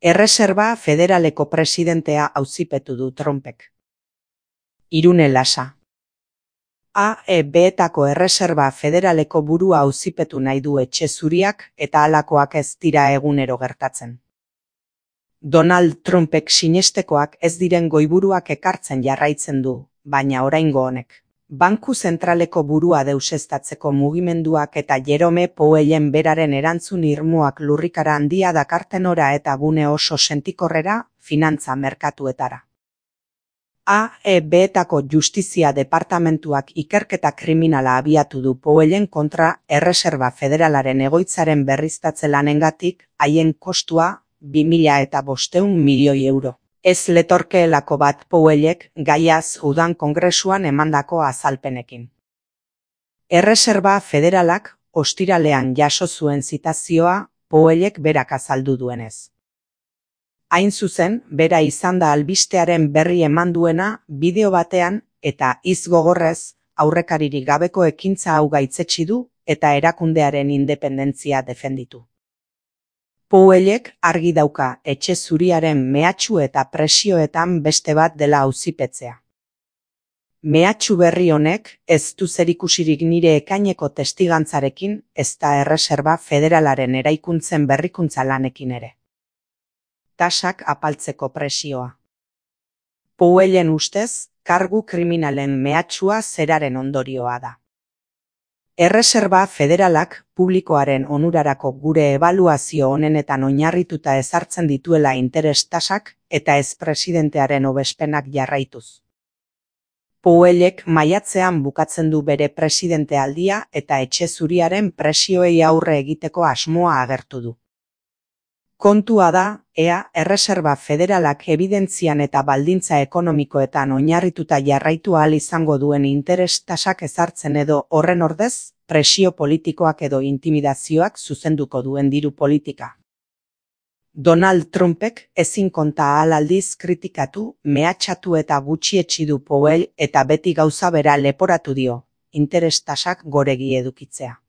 Erreserba Federaleko presidentea auzipetu du Trumpek. Irune Lasa. AEB-etako Erreserba Federaleko burua auzipetu nahi du Etxe Zuriak eta halakoak ez dira egunero gertatzen. Donald Trumpek sinestekoak ez diren goiburuak ekartzen jarraitzen du, baina oraingo honek. Banku zentraleko burua deuseztatzeko mugimenduak eta Jerome Powellen beraren erantzun irmoak lurrikara handia dakarten ora eta gune oso sentikorrera, finantza merkatuetara. AEB-etako Justizia Departamentuak ikerketa kriminala abiatu du Powellen kontra Erreserba Federalaren egoitzaren berriztatze lanengatik, haien kostua 2.500 milioi euro. Ez letorkeelako bat Powellek gaiaz udan kongresuan emandako azalpenekin. Erreserba Federalak ostiralean jaso zuen zitazioa Powellek berak azaldu duenez. Hain zuzen, bera izan da albistearen berri eman duena bideo batean eta hitz gogorrez aurrekaririk gabeko ekintza hau gaitzetsi du eta erakundearen independentzia defenditu. Powellek argi dauka Etxe Zuriaren mehatxu eta presioetan beste bat dela auzipetzea. Mehatxu berri honek ez du zerikusirik nire ekaineko testigantzarekin ezta Erreserba Federalaren eraikuntzen berrikuntza lanekin ere. Tasak apaltzeko presioa. Powellen ustez, kargu kriminalen mehatxua zeraren ondorioa da. Erreserba Federalak publikoaren onurarako gure ebaluazio honenetan oinarrituta ezartzen dituela interes tasak eta ez presidentearen hobespenak jarraituz. Powellek maiatzean bukatzen du bere presidentealdia eta Etxe Zuriaren presioei aurre egiteko asmoa agertu du. Kontua da, ea Erreserba Federalak ebidentzian eta baldintza ekonomikoetan oinarrituta jarraitu ahal izango duen interes tasak ezartzen edo horren ordez, presio politikoak edo intimidazioak zuzenduko duen diru politika. Donald Trumpek ezin konta ahal aldiz kritikatu, mehatxatu eta gutxietsi du Powell eta beti gauza bera leporatu dio, interes tasak goregi edukitzea.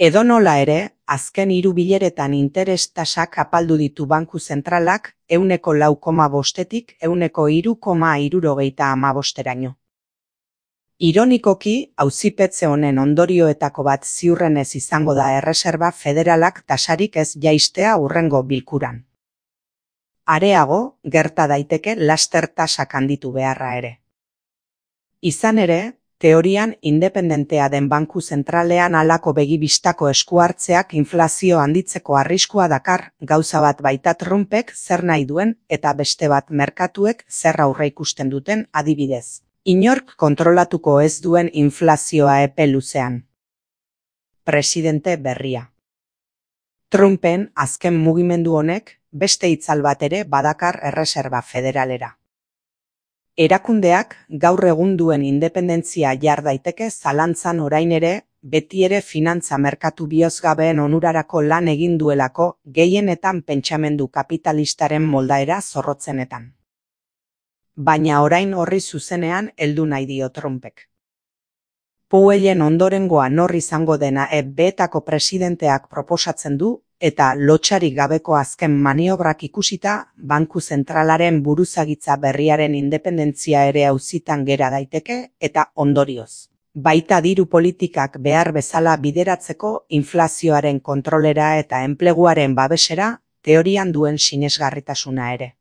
Edonola ere, azken 3 bileretan interes tasak apaldu ditu banku zentralak 4,5-tik 3,75-eraino. Ironikoki, auzipetze honen ondorioetako bat ziurrenez izango da Erreserba Federalak tasarik ez jaistea hurrengo bilkuran. Areago, gerta daiteke laster tasak handitu beharra ere. Izan ere, teorian independentea den banku zentralean halako begibistako eskuhartzeak inflazio handitzeko arriskua dakar, gauza bat baita Trumpek zer nahi duen eta beste bat merkatuek zer aurreikusten duten adibidez. Inork kontrolatuko ez duen inflazioa epe luzean. Presidente berria. Trumpen azken mugimendu honek beste itzal bat ere badakar Erreserba Federalera. Erakundeak gaur egun duen independentzia jar daiteke zalantzan orain ere, beti ere finantza merkatu bihozgabeen onurarako lan egin duelako gehienetan pentsamendu kapitalistaren moldaera zorrotzenetan. Baina orain horri zuzenean heldu nahi dio Trumpek. Powellen ondorengoa nor izango dena EB-etako presidenteak proposatzen du, eta lotsarik gabeko azken maniobrak ikusita, banku zentralaren buruzagitza berriaren independentzia ere auzitan gera daiteke eta ondorioz. Baita diru politikak behar bezala bideratzeko inflazioaren kontrolera eta enpleguaren babesera, teorian duen sinesgarritasuna ere.